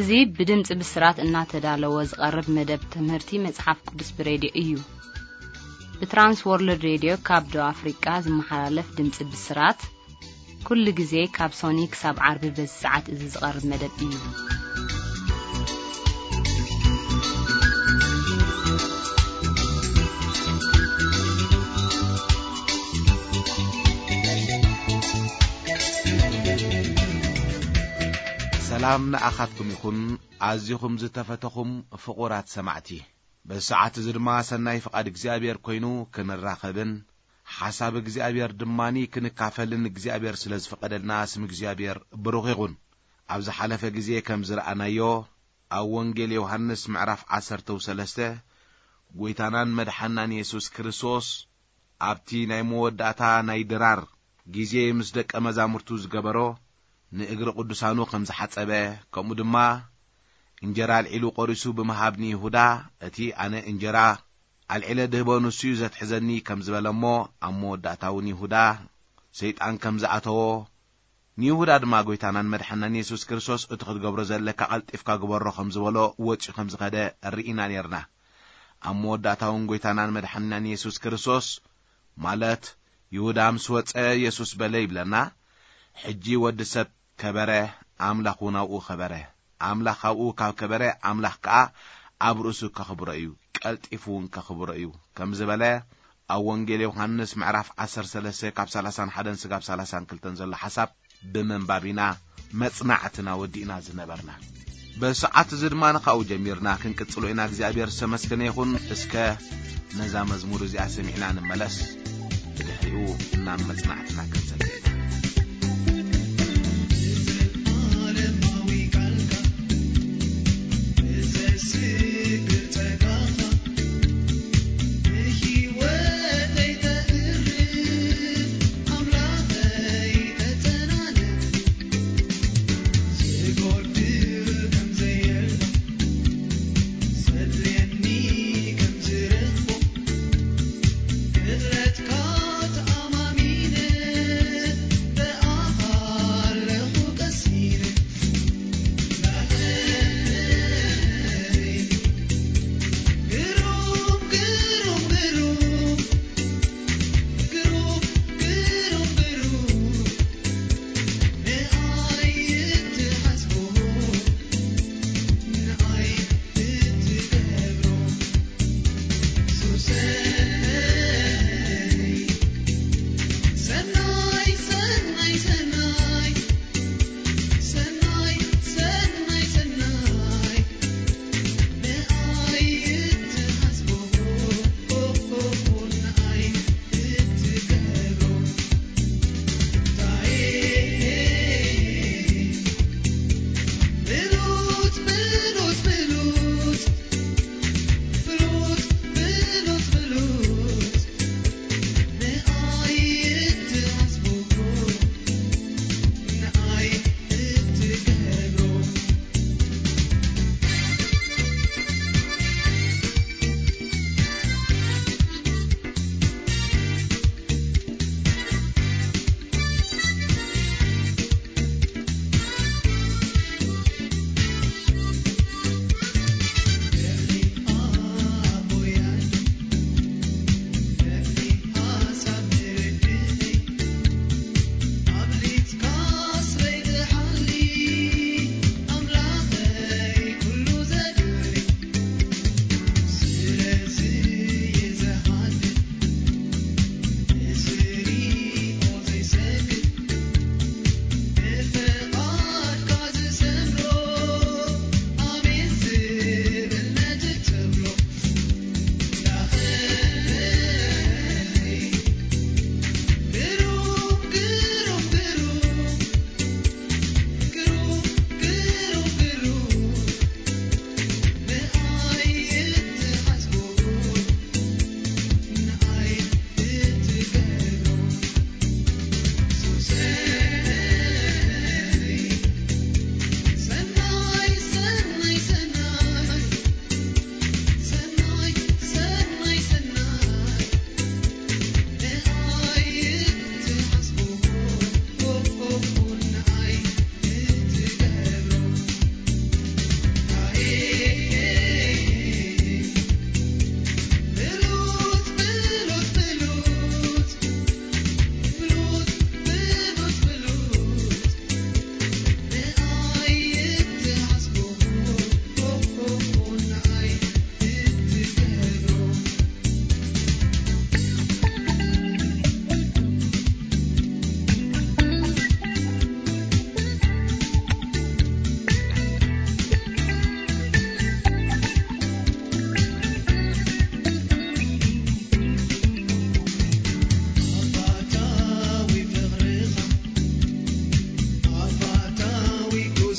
እዚ ብድምፂ ብስራት እናተዳለወ ዝቐርብ መደብ ትምህርቲ መፅሓፍ ቅዱስ ብሬድዮ እዩ። ብትራንስ ወርልድ ሬድዮ ካብ ደቡብ ኣፍሪቃ ዝመሓላለፍ ድምፂ ብስራት ኩሉ ግዜ ካብ ሶኒ ክሳብ ዓርቢ በዚ ሰዓት እዚ ዝቐርብ መደብ እዩ። ሰላም ንኣኻትኩም ይኹን፣ ኣዚኹም ዝተፈተኹም ፍቑራት ሰማዕቲ። በዚ ሰዓት እዚ ድማ ሰናይ ፍቓድ እግዚኣብሔር ኮይኑ ክንራኸብን ሓሳብ እግዚኣብሔር ድማኒ ክንካፈልን እግዚኣብሔር ስለ ዝፈቐደልና ስም እግዚኣብሔር ብሩኽ ይኹን። ኣብ ዝሓለፈ ግዜ ከም ዝረኣናዮ ኣብ ወንጌል ዮሃንስ ምዕራፍ ዓሰርተ ሰለስተ ጎይታናን መድሓናን የሱስ ክርስቶስ ኣብቲ ናይ መወዳእታ ናይ ድራር ግዜ ምስ ደቀ መዛሙርቱ ዝገበሮ ንእግሪ ቅዱሳኑ ከም ዝሓጸበ፣ ከምኡ ድማ እንጀራ ኣልዒሉ ቆሪሱ ብምሃብ ንይሁዳ፣ "እቲ ኣነ እንጀራ ኣልዒለ ድህቦ ንሱ እዩ ዘትሕዘኒ" ከም ዝበለ እሞ፣ ኣብ መወዳእታ እውን ይሁዳ ሰይጣን ከም ዝኣተዎ፣ ንይሁዳ ድማ ጎይታናን መድሓናን የሱስ ክርስቶስ እቲ ክትገብሮ ዘለካ ቀልጢፍካ ግበሮ ከም ዝበሎ ወፂኡ ከም ዝኸደ ርኢና ነርና። ኣብ መወዳእታ እውን ጎይታናን መድሓናን የሱስ ክርስቶስ ማለት ይሁዳ ምስ ወፀ የሱስ በለ ይብለና፣ "ሕጂ ወዲ ሰብ ከበረ፣ ኣምላኽ እውን ኣብኡ ከበረ። ኣምላኽ ኣብኡ ካብ ከበረ፣ ኣምላኽ ከኣ ኣብ ርእሱ ከኽብሮ እዩ፣ ቀልጢፉ እውን ከኽብሮ እዩ" ከም ዝበለ ኣብ ወንጌል ዮሃንስ ምዕራፍ ዓሰርተ ሰለስተ ካብ ሰላሳን ሓደን ስጋብ ሰላሳን ክልተን ዘሎ ሓሳብ ብምንባብ ኢና መጽናዕትና ወዲእና ዝነበርና። በሰዓት እዚ ድማ ንኻኡ ጀሚርና ክንቅጽሎ ኢና። እግዚኣብሔር ዝተመስገነ ይኹን። እስከ ነዛ መዝሙር እዚኣ ሰሚዕና ንመለስ። ብድሕሪኡ ናብ መጽናዕትና ክንሰግር ኢና።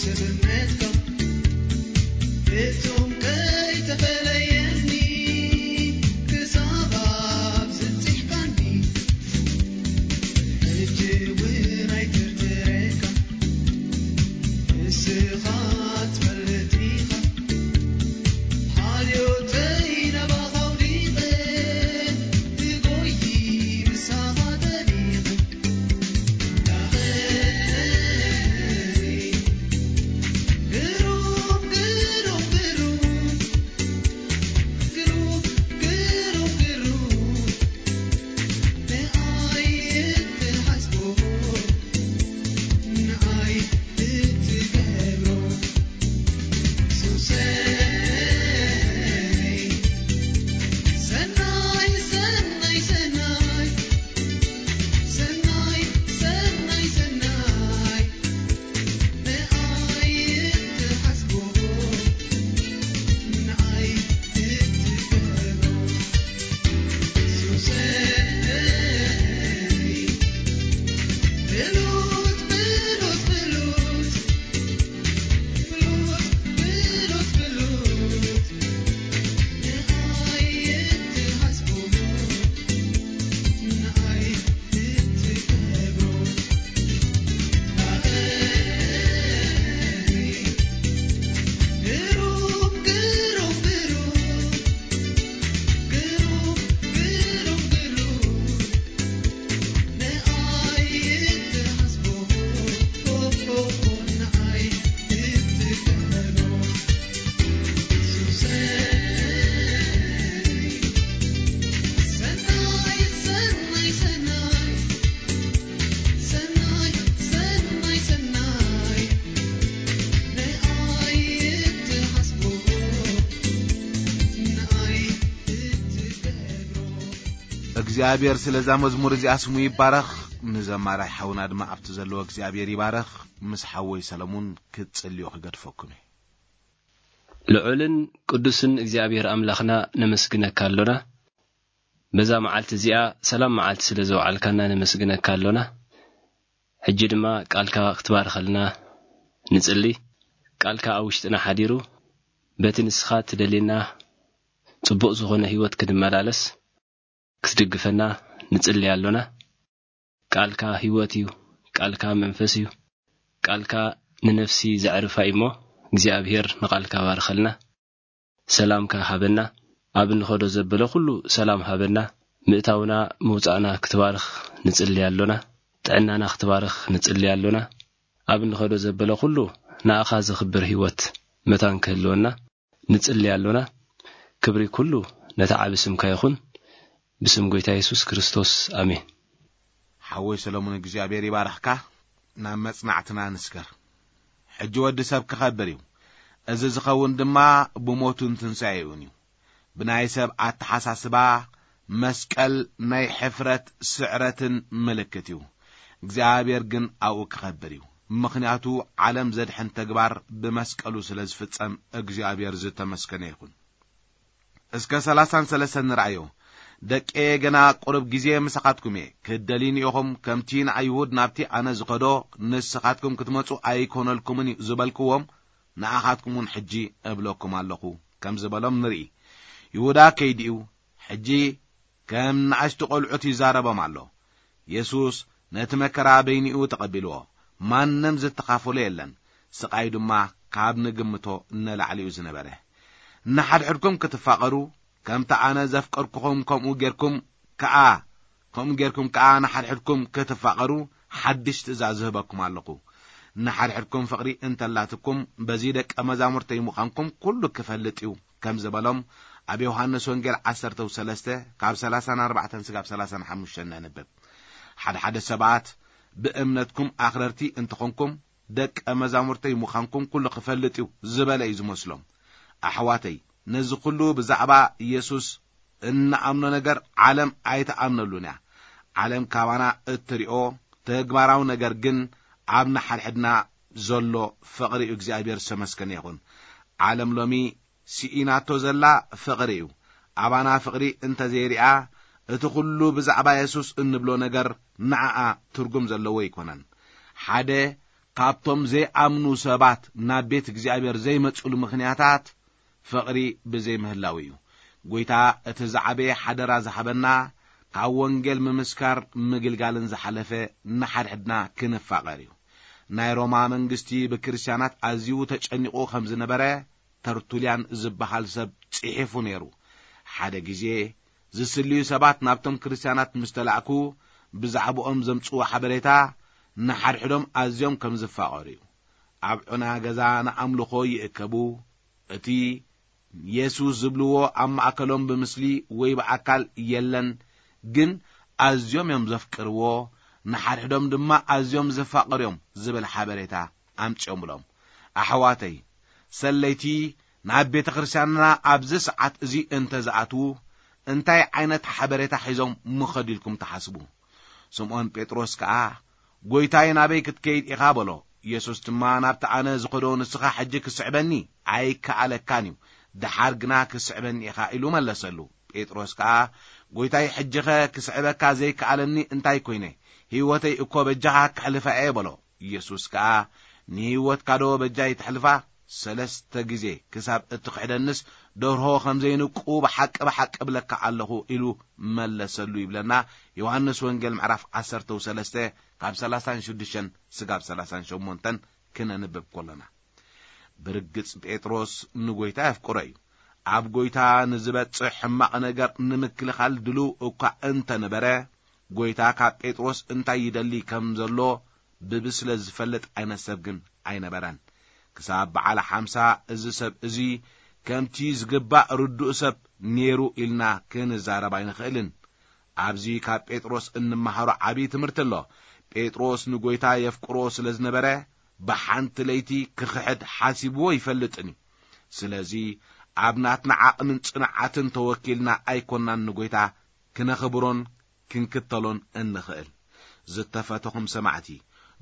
ቸርነትካ ፍጹም ከይተፈለየኒ ክሳብ ኣብ ዝጽሕካኒ ሕጂ እውን ኣይትርትረካ ንስኻ ትፈልጥ ኢኻ ሓልዮተይ ናባኻ ኣውዲቐ ትጎይ ምሳኻ ጠሊቐ እግዚኣብሔር ስለዛ መዝሙር እዚኣ ስሙ ይባረኽ። ንዘማራይ ሓውና ድማ ኣብቲ ዘለዎ እግዚኣብሔር ይባረኽ። ምስ ሓወይ ሰለሙን ክትጽልዮ ክገድፈኩም እየ። ልዑልን ቅዱስን እግዚኣብሔር ኣምላኽና ነመስግነካ ኣሎና። በዛ መዓልቲ እዚኣ ሰላም መዓልቲ ስለ ዘውዓልካና ነመስግነካ ኣሎና። ሕጂ ድማ ቃልካ ክትባርኸልና ንጽሊ። ቃልካ ኣብ ውሽጥና ሓዲሩ በቲ ንስኻ ትደልየና ጽቡቕ ዝኾነ ህይወት ክንመላለስ ክትድግፈና ንጽሊ ኣሎና። ቃልካ ህይወት እዩ፣ ቃልካ መንፈስ እዩ፣ ቃልካ ንነፍሲ ዘዕርፋ እዩ እሞ እግዚኣብሔር ንቃልካ ባርኸልና። ሰላምካ ሃበና። ኣብ እንኸዶ ዘበለ ኩሉ ሰላም ሃበና። ምእታውና ምውጻእና ክትባርኽ ንጽሊ ኣሎና። ጥዕናና ክትባርኽ ንጽሊ ኣሎና። ኣብ እንኸዶ ዘበለ ኩሉ ንኣኻ ዘኽብር ህይወት መታን ክህልወና ንጽሊ ኣሎና። ክብሪ ኩሉ ነታ ዓቢ ስምካ ይኹን። ብስም ጎይታ የሱስ ክርስቶስ ኣሜን። ሓወይ ሰለሙን እግዚኣብሔር ይባርኽካ። ናብ መጽናዕትና ንስገር። ሕጂ ወዲ ሰብ ክኸብር እዩ። እዚ ዝኸውን ድማ ብሞቱን ትንሳኤኡን እዩ። ብናይ ሰብ ኣተሓሳስባ መስቀል ናይ ሕፍረት ስዕረትን ምልክት እዩ። እግዚኣብሔር ግን ኣብኡ ክኸብር እዩ። ምኽንያቱ ዓለም ዘድሕን ተግባር ብመስቀሉ ስለ ዝፍጸም እግዚኣብሔር ዝተመስገነ ይኹን። እስከ ሰላሳን ሰለስተን ንርኣዮ። ደቀየ ገና ቁሩብ ግዜ ምሳኻትኩም እየ። ክትደልዩኒ ኢኹም፣ ከምቲ ንኣይሁድ ናብቲ ኣነ ዝኸዶ ንስኻትኩም ክትመጹ ኣይኮነልኩምን እዩ ዝበልክዎም፣ ንኣኻትኩም እውን ሕጂ እብለኩም ኣለኹ ከም ዝበሎም ንርኢ። ይሁዳ ከይዲኡ ሕጂ ከም ንኣሽቱ ቖልዑት ይዛረቦም ኣሎ። የሱስ ነቲ መከራ በይኒኡ ተቐቢልዎ። ማንም ዝተኻፈሎ የለን። ስቓይ ድማ ካብ ንግምቶ ንላዕሊ እዩ ዝነበረ። ንሓድሕድኩም ክትፋቐሩ፣ ከምቲ ኣነ ዘፍቀርኩኹም ከምኡ ጌርኩም ከኣ፣ ከምኡ ጌርኩም ከኣ ንሓድሕድኩም ክትፋቐሩ ሓድሽ ትእዛዝ ዝህበኩም ኣለኹ። ንሓድሕድኩም ፍቕሪ እንተላትኩም፣ በዚ ደቀ መዛሙርተይ ምዃንኩም ኩሉ ክፈልጥ እዩ ከም ዝበሎም ኣብ ዮሃንስ ወንጌል ዓሰርተ ሰለስተ ካብ ሰላሳን ኣርባዕተን ስጋብ ሰላሳን ሓሙሽተን ነንብብ። ሓደ ሓደ ሰባት ብእምነትኩም ኣኽረርቲ እንተኾንኩም ደቀ መዛሙርተይ ምዃንኩም ኩሉ ክፈልጥ እዩ ዝበለ እዩ ዝመስሎም። ኣሕዋተይ፣ ነዚ ኩሉ ብዛዕባ ኢየሱስ እንኣምኖ ነገር ዓለም ኣይትኣምነሉን እያ። ዓለም ካባና እትሪኦ ተግባራዊ ነገር ግን ኣብ ንሓድሕድና ዘሎ ፍቕሪ እዩ። እግዚኣብሔር ዝተመስገነ ይኹን። ዓለም ሎሚ ስኢናቶ ዘላ ፍቕሪ እዩ። ኣባና ፍቕሪ እንተዘይሪኣ፣ እቲ ኩሉ ብዛዕባ የሱስ እንብሎ ነገር ንዓኣ ትርጉም ዘለዎ ኣይኮነን። ሓደ ካብቶም ዘይኣምኑ ሰባት ናብ ቤት እግዚኣብሔር ዘይመጽሉ ምኽንያታት ፍቕሪ ብዘይምህላው እዩ። ጎይታ እቲ ዝዓበየ ሓደራ ዝሃበና ካብ ወንጌል ምምስካር ምግልጋልን ዝሓለፈ ንሓድሕድና ክንፋቐር እዩ። ናይ ሮማ መንግስቲ ብክርስትያናት ኣዝዩ ተጨኒቑ ከም ዝነበረ ተርቱልያን ዝበሃል ሰብ ጽሒፉ ነይሩ። ሓደ ግዜ ዝስልዩ ሰባት ናብቶም ክርስትያናት ምስ ተላእኩ ብዛዕባኦም ዘምጽዎ ሓበሬታ ንሓድሕዶም ኣዝዮም ከም ዝፋቐሩ እዩ። ኣብ ዑና ገዛ ንኣምልኾ ይእከቡ። እቲ የሱስ ዝብልዎ ኣብ ማእከሎም ብምስሊ ወይ ብኣካል የለን፣ ግን ኣዝዮም እዮም ዘፍቅርዎ፣ ንሓድሕዶም ድማ ኣዝዮም ዝፋቐሩ እዮም ዝብል ሓበሬታ ኣምጺኦምሎም። ኣሕዋተይ፣ ሰለይቲ ናብ ቤተ ክርስቲያንና ኣብዚ ሰዓት እዚ እንተ ዝኣትዉ እንታይ ዓይነት ሓበሬታ ሒዞም ምኸዱ ኢልኩም ትሓስቡ? ስምዖን ጴጥሮስ ከኣ፣ ጎይታይ ናበይ ክትከይድ ኢኻ በሎ። ኢየሱስ ድማ ናብቲ ኣነ ዝኸዶ ንስኻ ሕጂ ክስዕበኒ ኣይከኣለካን እዩ፣ ደሓር ግና ክስዕበኒ ኢኻ ኢሉ መለሰሉ። ጴጥሮስ ከኣ፣ ጎይታይ ሕጂኸ ክስዕበካ ዘይከኣለኒ እንታይ ኮይነ? ህይወተይ እኮ በጃኻ ክሕልፋ እየ በሎ። ኢየሱስ ከኣ፣ ንህይወትካ ዶ በጃይ ትሕልፋ? ሰለስተ ግዜ ክሳብ እትኽሕደንስ ደርሆ ከም ዘይንቁ ብሓቂ ብሓቂ እብለካ ኣለኹ ኢሉ መለሰሉ ይብለና። ዮሃንስ ወንጌል ምዕራፍ ዓሰርተ ሰለስተ ካብ ሰላሳን ሽዱሽተን ስጋብ ሰላሳን ሸሞንተን ክነንብብ ከሎና። ብርግጽ ጴጥሮስ ንጎይታ የፍቅሮ እዩ። ኣብ ጎይታ ንዝበጽሕ ሕማቕ ነገር ንምክልኻል ድልው እኳ እንተነበረ፣ ጎይታ ካብ ጴጥሮስ እንታይ ይደሊ ከም ዘሎ ብብስለት ዝፈልጥ ዓይነት ሰብ ግን ኣይነበረን። ክሳብ በዓል ሓምሳ እዚ ሰብ እዚ ከምቲ ዝግባእ ርዱእ ሰብ ነይሩ ኢልና ክንዛረብ ኣይንኽእልን። ኣብዚ ካብ ጴጥሮስ እንመሃሮ ዓብዪ ትምህርቲ ኣሎ። ጴጥሮስ ንጎይታ የፍቅሮ ስለ ዝነበረ፣ ብሓንቲ ለይቲ ክኽሕድ ሓሲብዎ ይፈልጥን እዩ። ስለዚ ኣብ ናትና ዓቕምን ጽንዓትን ተወኪልና ኣይኮናን ንጎይታ ክነኽብሮን ክንክተሎን እንኽእል። ዝተፈተኹም ሰማዕቲ፣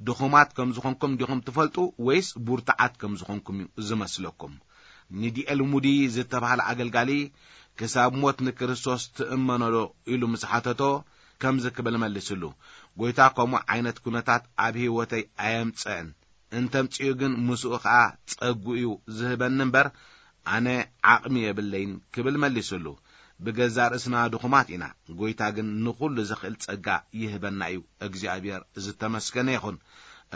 ድኹማት ከም ዝኾንኩም ዲኹም ትፈልጡ ወይስ ቡርትዓት ከም ዝኾንኩም እዩ ዝመስለኩም? ንዲኤል ሙዲ ዝተባህለ ኣገልጋሊ፣ ክሳብ ሞት ንክርስቶስ ትእመኖ ዶ ኢሉ ምስ ሓተቶ፣ ከምዚ ክብል መሊስሉ፣ ጎይታ ከምኡ ዓይነት ኩነታት ኣብ ህይወተይ ኣየምጽእን፣ እንተምጽኡ ግን ምስኡ ኸኣ ጸጉ እዩ ዝህበኒ እምበር፣ ኣነ ዓቕሚ የብለይን ክብል መሊስሉ። ብገዛ ርእስና ድኹማት ኢና፣ ጎይታ ግን ንኹሉ ዝኽእል ጸጋ ይህበና እዩ። እግዚኣብሔር ዝተመስገነ ይኹን።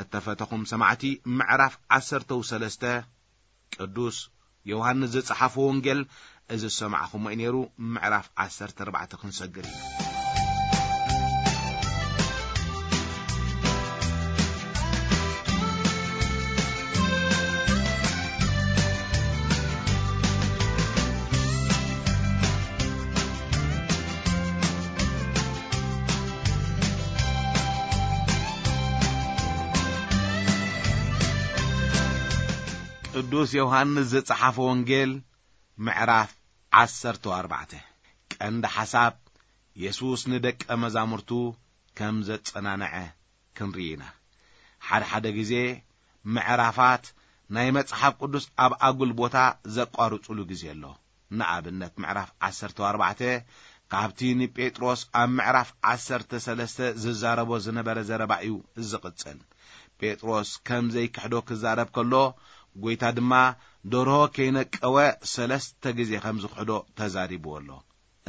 እተፈተኹም ሰማዕቲ፣ ምዕራፍ ዓሰርተ ሰለስተ ቅዱስ ዮሃንስ ዝጸሓፎ ወንጌል፣ እዚ ዝሰማዕኹሞ እዩ ነይሩ። ምዕራፍ ዓሰርተ ኣርባዕተ ክንሰግር ኢና። ቅዱስ ዮሃንስ ዝጸሓፎ ወንጌል ምዕራፍ ዓሰርተ ኣርባዕተ። ቀንዲ ሓሳብ፣ የሱስ ንደቀ መዛሙርቱ ከም ዘጸናንዐ ክንርኢ ኢና። ሓደ ሓደ ግዜ ምዕራፋት ናይ መጽሓፍ ቅዱስ ኣብ ኣጉል ቦታ ዘቋርጹሉ ግዜ ኣሎ። ንኣብነት ምዕራፍ ዓሰርተ ኣርባዕተ ካብቲ ንጴጥሮስ ኣብ ምዕራፍ ዓሰርተ ሰለስተ ዝዛረቦ ዝነበረ ዘረባ እዩ ዝቕጽል። ጴጥሮስ ከም ዘይክሕዶ ክዛረብ ከሎ፣ ጎይታ ድማ ደርሆ ከይነቀወ ሰለስተ ግዜ ከም ዝኽሕዶ ተዛሪብዎ ኣሎ።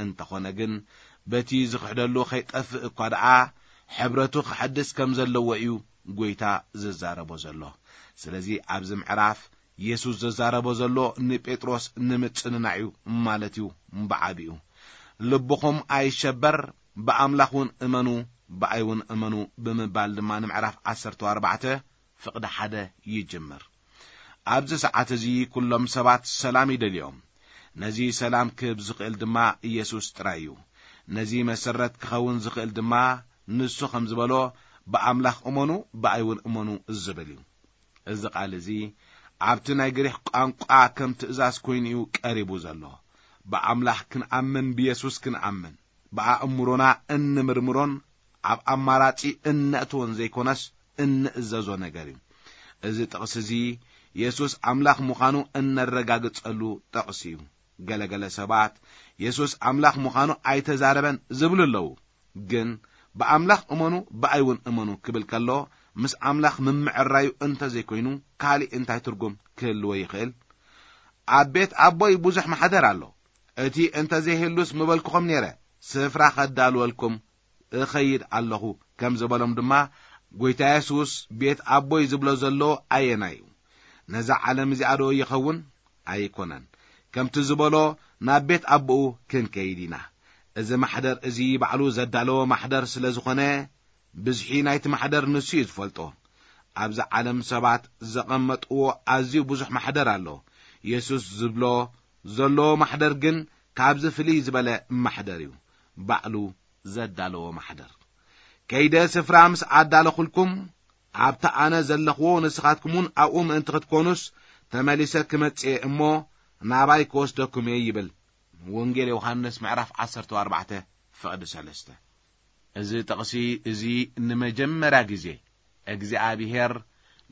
እንተኾነ ግን፣ በቲ ዝኽሕደሉ ከይጠፍእ እኳ ደኣ ሕብረቱ ክሐድስ ከም ዘለዎ እዩ ጎይታ ዝዛረቦ ዘሎ። ስለዚ ኣብዚ ምዕራፍ የሱስ ዝዛረቦ ዘሎ ንጴጥሮስ ንምጽንናዕ እዩ ማለት እዩ። ብዓቢኡ፣ ልብኹም ኣይሸበር፣ ብኣምላኽ እውን እመኑ፣ ብኣይ እውን እመኑ ብምባል ድማ ንምዕራፍ ዓሰርተ ኣርባዕተ ፍቕዲ ሓደ ይጅምር። ኣብዚ ሰዓት እዚ ኩሎም ሰባት ሰላም ይደልዮም። ነዚ ሰላም ክህብ ዝኽእል ድማ ኢየሱስ ጥራይ እዩ። ነዚ መሰረት ክኸውን ዝኽእል ድማ ንሱ ከም ዝበሎ፣ ብኣምላኽ እመኑ፣ ብኣይ እውን እመኑ ዝብል እዩ። እዚ ቃል እዚ ኣብቲ ናይ ግሪኽ ቋንቋ ከም ትእዛዝ ኮይኑ እዩ ቀሪቡ ዘሎ። ብኣምላኽ ክንኣምን፣ ብየሱስ ክንኣምን፣ ብኣእምሮና እንምርምሮን ኣብ ኣማራጺ እነእትዎን ዘይኮነስ እንእዘዞ ነገር እዩ። እዚ ጥቕሲ እዚ የሱስ ኣምላኽ ምዃኑ እነረጋግጸሉ ጥቕሲ እዩ። ገለገለ ሰባት የሱስ ኣምላኽ ምዃኑ ኣይተዛረበን ዝብሉ ኣለዉ። ግን ብኣምላኽ እመኑ፣ ብኣይ እውን እመኑ ክብል ከሎ፣ ምስ ኣምላኽ ምምዕራዩ እንተ ዘይኮይኑ፣ ካልእ እንታይ ትርጉም ክህልዎ ይኽእል? ኣብ ቤት ኣቦይ ብዙሕ ማሕደር ኣሎ። እቲ እንተ ዘይህሉስ ምበልኩኹም ነይረ፣ ስፍራ ኸዳልወልኩም እኸይድ ኣለኹ ከም ዝበሎም ድማ፣ ጐይታ የሱስ ቤት ኣቦይ ዝብሎ ዘሎ ኣየናይ እዩ? ነዛ ዓለም እዚኣ ዶ ይኸውን? ኣይኮነን። ከምቲ ዝበሎ፣ ናብ ቤት ኣቦኡ ክንከይድ ኢና። እዚ ማሕደር እዚ ባዕሉ ዘዳለዎ ማሕደር ስለ ዝኾነ፣ ብዝሒ ናይቲ ማሕደር ንሱ እዩ ዝፈልጦ። ኣብዚ ዓለም ሰባት ዘቐመጥዎ ኣዝዩ ብዙሕ ማሕደር ኣሎ። የሱስ ዝብሎ ዘሎ ማሕደር ግን ካብዚ ፍልይ ዝበለ ማሕደር እዩ። ባዕሉ ዘዳለዎ ማሕደር። ከይደ ስፍራ ምስ ኣዳለኹልኩም፣ ኣብቲ ኣነ ዘለኽዎ ንስኻትኩምውን ኣብኡ ምእንቲ ክትኮኑስ፣ ተመሊሰ ክመጽእ እየ እሞ፣ ናባይ ክወስደኩም እየ ይብል። ወንጌል ዮሃንስ ምዕራፍ ዓሰርተ ኣርባዕተ ፍቕዲ ሰለስተ። እዚ ጥቕሲ እዚ ንመጀመርያ ግዜ እግዚኣብሄር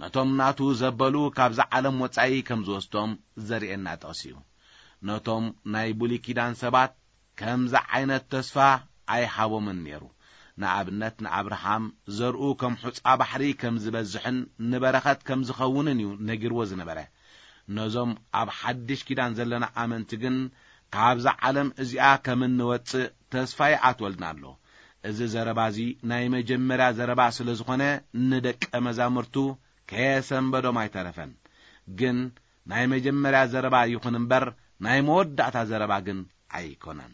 ነቶም ናቱ ዘበሉ ካብዛ ዓለም ወጻኢ ከም ዝወስዶም ዘርእየና ጥቕሲ እዩ። ነቶም ናይ ብሉይ ኪዳን ሰባት ከምዚ ዓይነት ተስፋ ኣይሃቦምን ነይሩ። ንኣብነት ንኣብርሃም ዘርኡ ከም ሑጻ ባሕሪ ከም ዝበዝሕን ንበረኸት ከም ዝኸውንን እዩ ነጊርዎ ዝነበረ። ነዞም ኣብ ሓድሽ ኪዳን ዘለና ኣመንቲ ግን ካብዛ ዓለም እዚኣ ከም እንወጽእ ተስፋ ይኣትወልና ኣሎ። እዚ ዘረባ እዚ ናይ መጀመርያ ዘረባ ስለ ዝኾነ ንደቀ መዛሙርቱ ከየሰንበዶም ኣይተረፈን። ግን ናይ መጀመርያ ዘረባ ይኹን እምበር ናይ መወዳእታ ዘረባ ግን ኣይኮነን።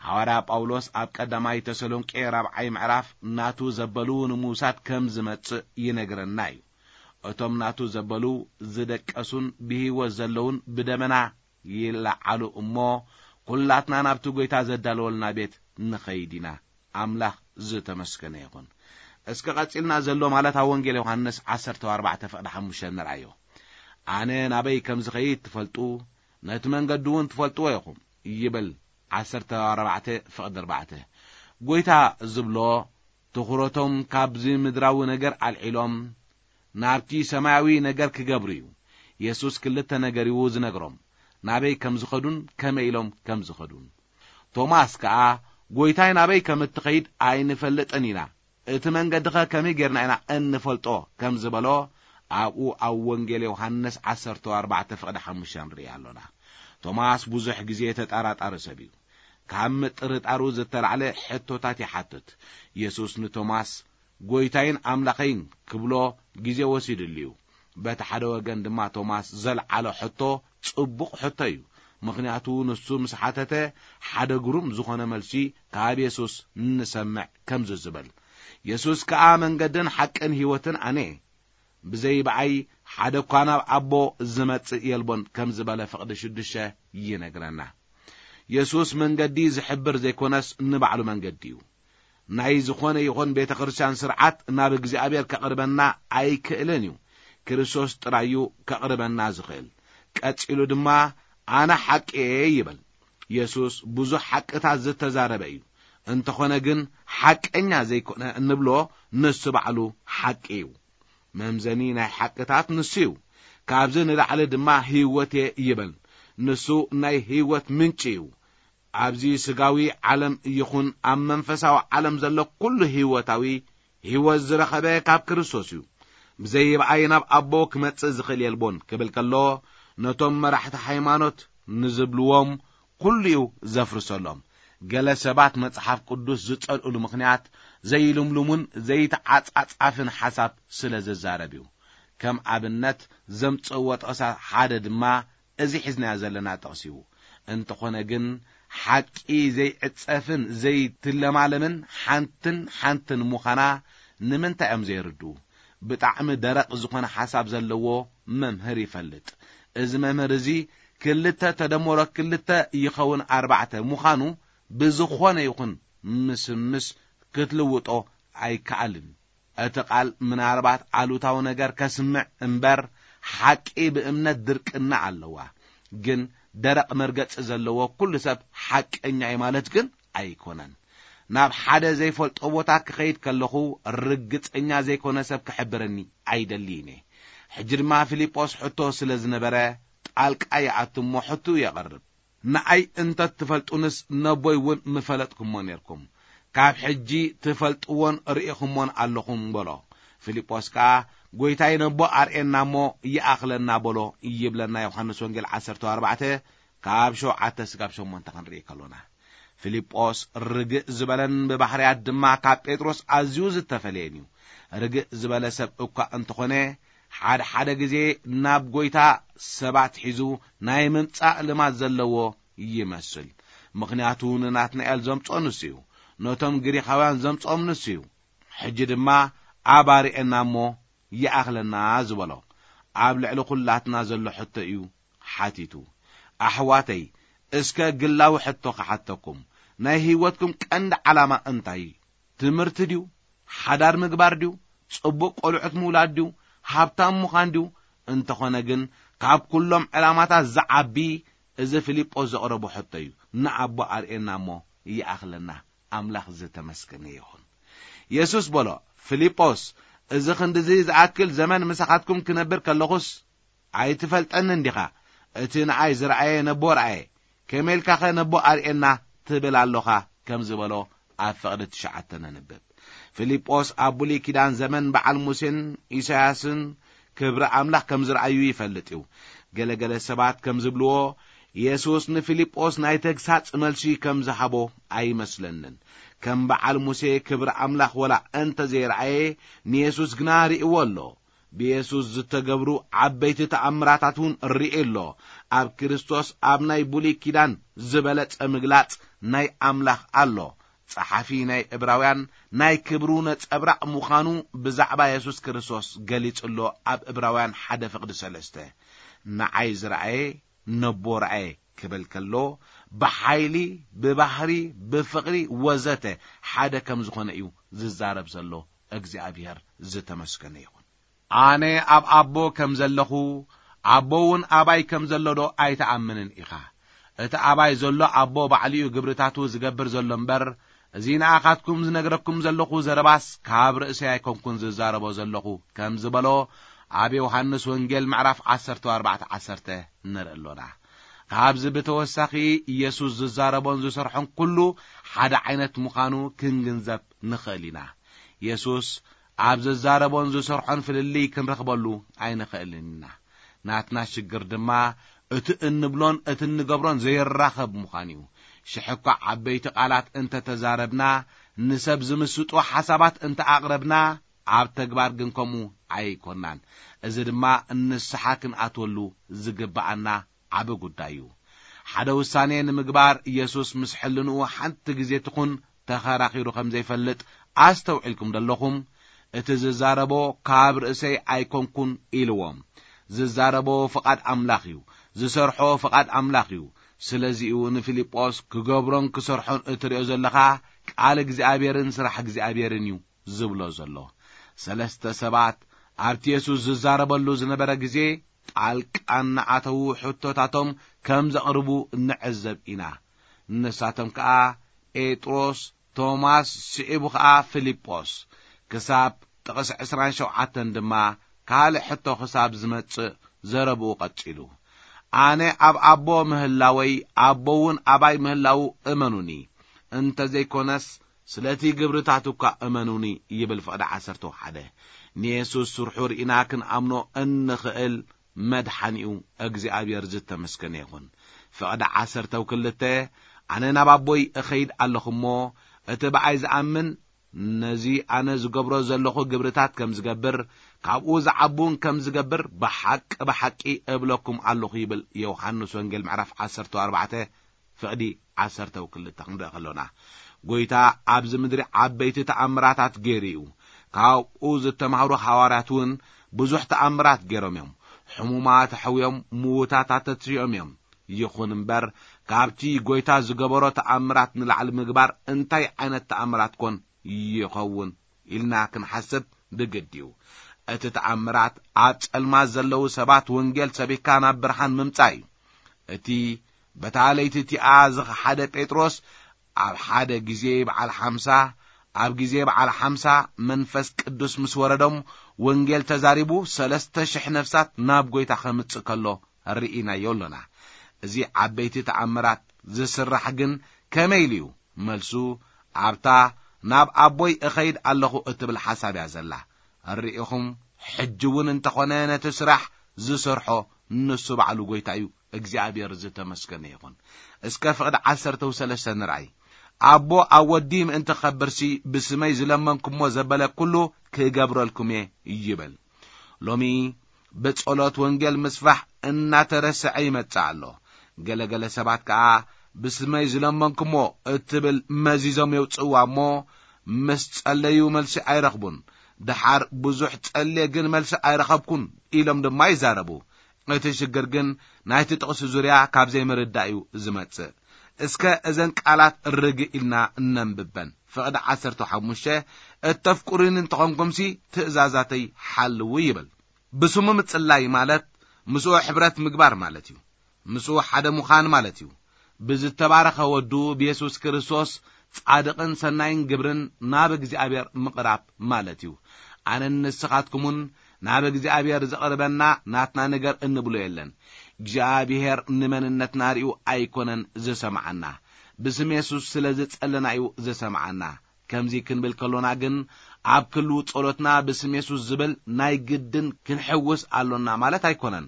ሃዋርያ ጳውሎስ ኣብ ቀዳማይ ተሰሎንቄ ራብዓይ ምዕራፍ ናቱ ዘበሉ ንምውሳድ ከም ዝመጽእ ይነግረና እዩ። እቶም ናቱ ዘበሉ ዝደቀሱን ብህይወት ዘለውን ብደመና ይለዓሉ እሞ፣ ኩላትና ናብቲ ጐይታ ዘዳለወልና ቤት ንኸይድ ኢና። ኣምላኽ ዝተመስገነ ይኹን። እስከ ቀጺልና ዘሎ ማለት ኣብ ወንጌል ዮሃንስ ዓሰርተ ኣርባዕተ ፍቕዲ ሓሙሽተ ንርኣዮ። ኣነ ናበይ ከም ዝኸይድ ትፈልጡ፣ ነቲ መንገዲ እውን ትፈልጥዎ ኢኹም ይብል። ዓሰርተ ኣርባዕተ ፍቕዲ ኣርባዕተ። ጐይታ ዝብሎ ትኹረቶም ካብዚ ምድራዊ ነገር ኣልዒሎም ናብቲ ሰማያዊ ነገር ክገብሩ እዩ። የሱስ ክልተ ነገር እዩ ዝነግሮም፣ ናበይ ከም ዝኸዱን ከመይ ኢሎም ከም ዝኸዱን። ቶማስ ከኣ፣ "ጐይታይ ናበይ ከም እትኸይድ ኣይንፈልጥን ኢና፣ እቲ መንገድኸ ከመይ ጌርና ኢና እንፈልጦ?" ከም ዝበሎ ኣብኡ ኣብ ወንጌል ዮሃንስ ዓሰርተ ኣርባዕተ ፍቕዲ ሓሙሽተ ንርኢ ኣሎና። ቶማስ ብዙሕ ግዜ ተጠራጣሪ ሰብ እዩ። ካብ ምጥርጣሩ ዝተላዕለ ሕቶታት ይሓትት። የሱስ ንቶማስ፣ "ጐይታይን ኣምላኸይን" ክብሎ ግዜ ወሲድሉ እዩ። በቲ ሓደ ወገን ድማ ቶማስ ዘልዓሎ ሕቶ ጽቡቕ ሕቶ እዩ። ምኽንያቱ ንሱ ምስ ሓተተ ሓደ ግሩም ዝኾነ መልሲ ካብ የሱስ ንሰምዕ ከምዚ ዝብል፣ "የሱስ ከኣ መንገድን ሓቅን ህይወትን ኣነ እየ። ብዘይ ብኣይ ሓደ እኳ ናብ ኣቦ ዝመጽእ የልቦን" ከም ዝበለ ፍቕዲ ሽዱሽተ ይነግረና። የሱስ መንገዲ ዝሕብር ዘይኮነስ ንባዕሉ መንገዲ እዩ። ናይ ዝኾነ ይኹን ቤተ ክርስቲያን ስርዓት ናብ እግዚኣብሔር ከቕርበና ኣይክእልን እዩ። ክርስቶስ ጥራይ እዩ ከቕርበና ዝኽእል። ቀጺሉ ድማ፣ "ኣነ ሓቂ እየ" ይብል። የሱስ ብዙሕ ሓቅታት ዝተዛረበ እዩ። እንተኾነ ግን ሓቀኛ ዘይኮነ እንብሎ ንሱ ባዕሉ ሓቂ እዩ። መምዘኒ ናይ ሓቅታት ንሱ እዩ። ካብዚ ንላዕሊ ድማ ህይወት እየ ይብል። ንሱ ናይ ህይወት ምንጪ እዩ። ኣብዚ ስጋዊ ዓለም ይኹን ኣብ መንፈሳዊ ዓለም ዘሎ ኩሉ ህይወታዊ ህይወት ዝረኸበ ካብ ክርስቶስ እዩ። "ብዘይ ብኣይ ናብ ኣቦ ክመጽእ ዝኽእል የልቦን" ክብል ከሎ፣ ነቶም መራሕቲ ሃይማኖት ንዝብልዎም ኩሉ እዩ ዘፍርሰሎም። ገለ ሰባት መጽሓፍ ቅዱስ ዝጸልእሉ ምኽንያት ዘይልምሉምን ዘይተዓጻጻፍን ሓሳብ ስለ ዝዛረብ እዩ። ከም ኣብነት ዘምጽእዎ ጥቕሳ ሓደ ድማ እዚ ሒዝናዮ ዘለና ጥቕሲ እዩ። እንተኾነ ግን ሓቂ ዘይዕጸፍን ዘይትለማለምን ሓንትን ሓንትን ምዃና ንምንታይ እዮም ዘይርድኡ? ብጣዕሚ ደረቕ ዝኾነ ሓሳብ ዘለዎ መምህር ይፈልጥ። እዚ መምህር እዚ ክልተ ተደመሮ ክልተ ይኸውን ኣርባዕተ ምዃኑ ብዝኾነ ይኹን ምስምስ ክትልውጦ ኣይከኣልን። እቲ ቃል ምናልባት ኣሉታዊ ነገር ከስምዕ እምበር፣ ሓቂ ብእምነት ድርቅና ኣለዋ። ግን ደረቕ መርገጺ ዘለዎ ኩሉ ሰብ ሓቀኛ እዩ ማለት ግን ኣይኮነን። ናብ ሓደ ዘይፈልጦ ቦታ ክኸይድ ከለኹ፣ ርግጸኛ ዘይኮነ ሰብ ክሕብረኒ ኣይደልይን እየ። ሕጂ ድማ ፊልጶስ ሕቶ ስለ ዝነበረ፣ ጣልቃ ይኣቱ እሞ ሕቶኡ የቕርብ። "ንኣይ እንተ ትፈልጡንስ ነቦይ እውን ምፈለጥኩሞ ኔርኩም። ካብ ሕጂ ትፈልጥዎን ርኢኹሞን ኣለኹም" በሎ። ፊልጶስ ከኣ፣ "ጐይታይ ነቦ ኣርእየና እሞ ይኣኽለና በሎ" ይብለና ዮሃንስ ወንጌል ዓሰርተ ኣርባዕተ ካብ ሸውዓተ ስጋብ ሸሞንተ ክንርኢ ከሎና። ፊልጶስ ርግእ ዝበለን ብባህርያት ድማ ካብ ጴጥሮስ ኣዝዩ ዝተፈለየን እዩ። ርግእ ዝበለ ሰብ እኳ እንተኾነ፣ ሓደ ሓደ ግዜ ናብ ጐይታ ሰባት ሒዙ ናይ ምምጻእ ልማድ ዘለዎ ይመስል። ምኽንያቱ ንናትናኤል ዘምጾ ንሱ እዩ። ነቶም ግሪኻውያን ዘምጾም ንሱ እዩ። ሕጂ ድማ "ኣብ ኣርእየና እሞ ይኣኽለና" ዝበሎ ኣብ ልዕሊ ኹላትና ዘሎ ሕቶ እዩ ሓቲቱ። ኣሕዋተይ፣ እስከ ግላዊ ሕቶ ክሓተኩም። ናይ ህይወትኩም ቀንዲ ዓላማ እንታይ እዩ? ትምህርቲ ድዩ? ሓዳር ምግባር ድዩ? ጽቡቕ ቆልዑት ምውላድ ድዩ? ሃብታም ምዃን ድዩ? እንተኾነ ግን፣ ካብ ኩሎም ዕላማታት ዝዓቢ እዚ ፊልጶስ ዘቕረቦ ሕቶ እዩ። "ንኣቦ ኣርእየና እሞ ይኣኽለና።" ኣምላኽ ዝተመስገነ ይኹን። የሱስ በሎ፣ "ፊልጶስ፣ እዚ ክንድዚ ዝኣክል ዘመን ምሳኻትኩም ክነብር ከለኹስ ኣይትፈልጠንን ዲኻ? እቲ ንኣይ ዝረኣየ ነቦ ረኣየ፣ ከመይ ኢልካኸ ነቦ ኣርእየና ትብል ኣሎኻ?" ከም ዝበሎ ኣብ ፍቕዲ ትሽዓተ ነንብብ። ፊልጶስ ኣብ ብሉይ ኪዳን ዘመን በዓል ሙሴን ኢሳያስን ክብሪ ኣምላኽ ከም ዝረኣዩ ይፈልጥ እዩ። ገለ ገለ ሰባት ከም ዝብልዎ፣ የሱስ ንፊልጶስ ናይ ተግሳጽ መልሲ ከም ዝሃቦ ኣይመስለንን። ከም በዓል ሙሴ ክብሪ ኣምላኽ ወላ እንተ ዘይረኣየ፣ ንየሱስ ግና ርእይዎ ኣሎ። ብየሱስ ዝተገብሩ ዓበይቲ ተኣምራታት እውን ርእዩ ኣሎ። ኣብ ክርስቶስ ኣብ ናይ ብሉይ ኪዳን ዝበለጸ ምግላጽ ናይ ኣምላኽ ኣሎ። ጸሓፊ ናይ ዕብራውያን ናይ ክብሩ ነጸብራቕ ምዃኑ ብዛዕባ የሱስ ክርስቶስ ገሊጹ ኣሎ። ኣብ ዕብራውያን ሓደ ፍቕዲ ሰለስተ፣ "ንዓይ ዝረኣየ ነቦ ረኣየ" ክብል ከሎ፣ ብሓይሊ፣ ብባህሪ፣ ብፍቕሪ ወዘተ ሓደ ከም ዝኾነ እዩ ዝዛረብ ዘሎ። እግዚኣብሔር ዝተመስገነ ይኹን። ኣነ ኣብ ኣቦ ከም ዘለኹ፣ ኣቦ እውን ኣባይ ከም ዘሎ ዶ ኣይትኣምንን ኢኻ? እቲ ኣባይ ዘሎ ኣቦ ባዕሉ እዩ ግብርታቱ ዝገብር ዘሎ እምበር፣ እዚ ንኣኻትኩም ዝነግረኩም ዘለኹ ዘረባስ ካብ ርእሰይ ኣይኮንኩን ዝዛረቦ ዘለኹ፣ ከም ዝበሎ ኣብ ዮሃንስ ወንጌል ምዕራፍ ዓሰርተ ኣርባዕተ ዓሰርተ ንርኢ ኣሎና። ካብዚ ብተወሳኺ፣ ኢየሱስ ዝዛረቦን ዝሰርሖን ኩሉ ሓደ ዓይነት ምዃኑ ክንግንዘብ ንኽእል ኢና። ኢየሱስ ኣብ ዝዛረቦን ዝሰርሖን ፍልልይ ክንረኽበሉ ኣይንኽእልን ኢና። ናትና ሽግር ድማ እቲ እንብሎን እቲ እንገብሮን ዘይራኸብ ምዃን እዩ። ሽሕ እኳ ዓበይቲ ቃላት እንተ ተዛረብና፣ ንሰብ ዝምስጡ ሓሳባት እንተ ኣቕረብና፣ ኣብ ተግባር ግን ከምኡ ኣይኮናን። እዚ ድማ ንስሓ ክንኣትወሉ ዝግብኣና ዓቢ ጉዳይ እዩ። ሓደ ውሳኔ ንምግባር ኢየሱስ ምስ ሕልንኡ ሓንቲ ግዜ ትኹን ተኸራኺሩ ከም ዘይፈልጥ ኣስተውዒልኩም ደለኹም? እቲ ዝዛረቦ ካብ ርእሰይ ኣይኮንኩን ኢልዎም። ዝዛረቦ ፍቓድ ኣምላኽ እዩ። ዝሰርሖ ፍቓድ ኣምላኽ እዩ። ስለዚ'ዩ ንፊልጶስ ክገብሮን ክሰርሖን እትርእዮ ዘለኻ ቃል እግዚኣብሔርን ስራሕ እግዚኣብሔርን እዩ ዝብሎ ዘሎ። ሰለስተ ሰባት ኣብቲ የሱስ ዝዛረበሉ ዝነበረ ግዜ ጣልቃ እናኣተዉ ሕቶታቶም ከም ዘቕርቡ ንዕዘብ ኢና። ንሳቶም ከኣ ጴጥሮስ፣ ቶማስ፣ ስዒቡ ኸኣ ፊልጶስ። ክሳብ ጥቕሲ ዕስራን ሸውዓተን ድማ ካልእ ሕቶ ክሳብ ዝመጽእ ዘረብኡ ቀጺሉ። ኣነ ኣብ ኣቦ ምህላወይ፣ ኣቦ እውን ኣባይ ምህላዉ እመኑኒ። እንተ ዘይኮነስ ስለቲ ግብርታቱ እኳ እመኑኒ ይብል ፍቕዲ ዓሰርተ ሓደ። ንየሱስ ስርሑ ርኢና ክንኣምኖ እንኽእል መድሓኒኡ እግዚኣብሔር ዝተመስገነ ይኹን። ፍቕዲ ዓሰርተ ክልተ፣ ኣነ ናብ ኣቦይ እኸይድ ኣለኹ እሞ፣ እቲ ብኣይ ዝኣምን ነዚ ኣነ ዝገብሮ ዘለኹ ግብርታት ከም ዝገብር፣ ካብኡ ዝዓቡን ከም ዝገብር ብሓቂ ብሓቂ እብለኩም ኣለኹ ይብል ዮሃንስ ወንጌል ምዕራፍ ዓሰርተ ኣርባዕተ ፍቕዲ ዓሰርተ ክልተ ክንርኢ ከሎና። ጎይታ ኣብዚ ምድሪ ዓበይቲ ተኣምራታት ገይሩ እዩ። ካብኡ ዝተማህሩ ሃዋርያት እውን ብዙሕ ተኣምራት ገይሮም እዮም። ሕሙማት ኣሕውዮም፣ ምዉታት ኣተትሪኦም እዮም። ይኹን እምበር፣ ካብቲ ጎይታ ዝገበሮ ተኣምራት ንላዕሊ ምግባር እንታይ ዓይነት ተኣምራት ኮን ይኸውን ኢልና ክንሓስብ ብግድ እዩ። እቲ ተኣምራት ኣብ ጸልማት ዘለዉ ሰባት ወንጌል ሰቢኽካ ናብ ብርሃን ምምጻእ እዩ። እቲ በታ ለይቲ እቲኣ ዝኸሓደ ጴጥሮስ ኣብ ሓደ ግዜ በዓል ሓምሳ፣ ኣብ ግዜ በዓል ሓምሳ መንፈስ ቅዱስ ምስ ወረዶም ወንጌል ተዛሪቡ ሰለስተ ሽሕ ነፍሳት ናብ ጎይታ ከምጽእ ከሎ ርኢናዮ ኣሎና። እዚ ዓበይቲ ተኣምራት ዝስራሕ ግን ከመይ ኢሉ እዩ? መልሱ ኣብታ ናብ ኣቦይ እኸይድ ኣለኹ እትብል ሓሳብ እያ ዘላ። ኣርእኹም፣ ሕጂ እውን እንተኾነ ነቲ ስራሕ ዝሰርሖ ንሱ ባዕሉ ጎይታ እዩ። እግዚኣብሔር ዝተመስገነ ይኹን። እስከ ፍቕዲ ዓሰርተ ሰለስተ ንርኣይ። ኣቦ ኣብ ወዲ ምእንቲ ክኸብርሲ ብስመይ ዝለመንኩሞ ዘበለ ኩሉ ክገብረልኩም እየ ይብል። ሎሚ ብጸሎት ወንጌል ምስፋሕ እናተረስዐ ይመጽእ ኣሎ። ገለገለ ሰባት ከኣ ብስመይ ዝለመንኩሞ እትብል መዚዞም የውጽእዋ እሞ ምስ ጸለዩ መልሲ ኣይረኽቡን። ደሓር ብዙሕ ጸልየ ግን መልሲ ኣይረኸብኩን ኢሎም ድማ ይዛረቡ። እቲ ሽግር ግን ናይቲ ጥቕሲ ዙርያ ካብ ዘይምርዳእ እዩ ዝመጽእ። እስከ እዘን ቃላት ርግእ ኢልና እነንብበን። ፍቕዲ ዓሰርተ ሓሙሽተ፣ "እተፍቅሩኒ እንተኾንኩምሲ ትእዛዛተይ ሓልዉ" ይብል። ብስሙ ምጽላይ ማለት ምስኡ ሕብረት ምግባር ማለት እዩ። ምስኡ ሓደ ምዃን ማለት እዩ። ብዝተባረኸ ወዱ ብየሱስ ክርስቶስ ጻድቕን ሰናይን ግብርን ናብ እግዚኣብሔር ምቕራብ ማለት እዩ። ኣነን ንስኻትኩምን ናብ እግዚኣብሔር ዘቕርበና ናትና ነገር እንብሎ የለን። እግዚኣብሔር ንመንነትና ርእዩ ኣይኮነን ዝሰምዓና፣ ብስም የሱስ ስለ ዝጸለና እዩ ዝሰምዓና። ከምዚ ክንብል ከሎና ግን ኣብ ክልው ጸሎትና ብስም የሱስ ዝብል ናይ ግድን ክንሕውስ ኣሎና ማለት ኣይኮነን።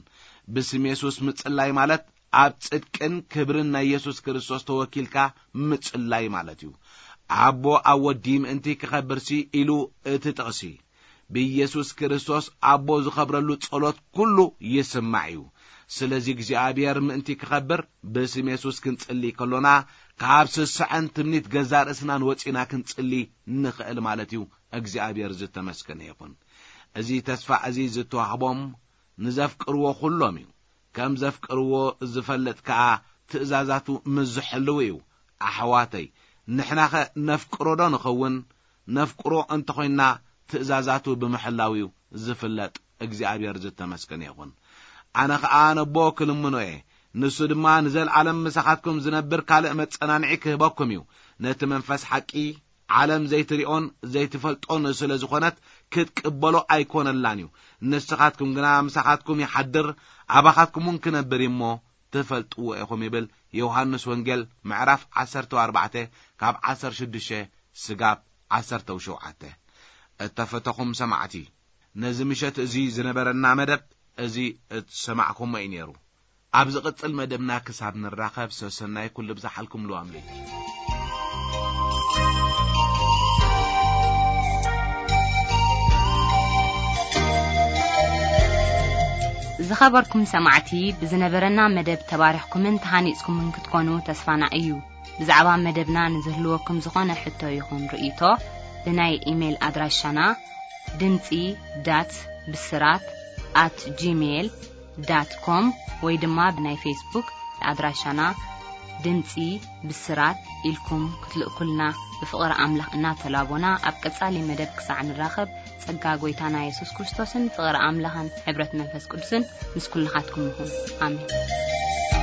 ብስም የሱስ ምጽላይ ማለት ኣብ ጽድቅን ክብርን ናይ የሱስ ክርስቶስ ተወኪልካ ምጽላይ ማለት እዩ። ኣቦ ኣብ ወዲ ምእንቲ ክኸብርሲ ኢሉ እቲ ጥቕሲ ብኢየሱስ ክርስቶስ ኣቦ ዝኸብረሉ ጸሎት ኩሉ ይስማዕ እዩ። ስለዚ እግዚኣብሔር ምእንቲ ክኸብር ብስም የሱስ ክንጽሊ ከሎና ካብ ስስዐን ትምኒት ገዛ ርእስናን ወጺና ክንጽሊ ንኽእል ማለት እዩ። እግዚኣብሔር ዝተመስገነ ይኹን። እዚ ተስፋ እዚ ዝተዋህቦም ንዘፍቅርዎ ኩሎም እዩ። ከም ዘፍቅርዎ ዝፈልጥ ከኣ ትእዛዛቱ ምስ ዝሕልው እዩ። ኣሕዋተይ፣ ንሕናኸ ነፍቅሮ ዶ ንኸውን? ነፍቅሮ እንተኾይንና ትእዛዛቱ ብምሕላው እዩ ዝፍለጥ። እግዚኣብሔር ዝተመስገነ ይኹን። ኣነ ኸኣ ነቦ ክልምኖ እየ፣ ንሱ ድማ ንዘለዓለም ምሳኻትኩም ዝነብር ካልእ መጸናንዒ ክህበኩም እዩ። ነቲ መንፈስ ሓቂ ዓለም ዘይትሪኦን ዘይትፈልጦን ስለ ዝኾነት ክትቅበሎ ኣይኮነላን እዩ። ንስኻትኩም ግና ምሳኻትኩም ይሓድር፣ ኣባኻትኩም እውን ክነብር እዩ እሞ ትፈልጥዎ ኢኹም ይብል። ዮሃንስ ወንጌል ምዕራፍ ዓሰርተ ኣርባዕተ ካብ ዓሰርተ ሽዱሽተ ስጋብ ዓሰርተ ሸውዓተ። እተፈተኹም ሰማዕቲ፣ ነዚ ምሸት እዚ ዝነበረና መደብ እዚ እትሰማዕኩሞ እዩ ነይሩ። ኣብ ዝቕጽል መደብና ክሳብ ንራኸብ ሰሰናይ ኩሉ ብዝሓልኩም ልዋም ለይቲ። ዝኸበርኩም ሰማዕቲ፣ ብዝነበረና መደብ ተባሪኽኩምን ተሃኒጽኩምን ክትኮኑ ተስፋና እዩ። ብዛዕባ መደብና ንዝህልወኩም ዝኾነ ሕቶ ይኹን ርእይቶ ብናይ ኢሜይል ኣድራሻና ድምጺ ዳት ብስራት ኣት ጂሜይል ዳት ኮም ወይ ድማ ብናይ ፌስቡክ ኣድራሻና ድምጺ ብስራት ኢልኩም ክትልእኩልና ብፍቕሪ ኣምላኽ እናተላቦና ኣብ ቀጻሊ መደብ ክሳዕ ንራኸብ ጸጋ ጎይታና የሱስ ክርስቶስን ፍቕሪ ኣምላኽን ሕብረት መንፈስ ቅዱስን ምስ ኩልኻትኩም ይኹን። ኣሜን።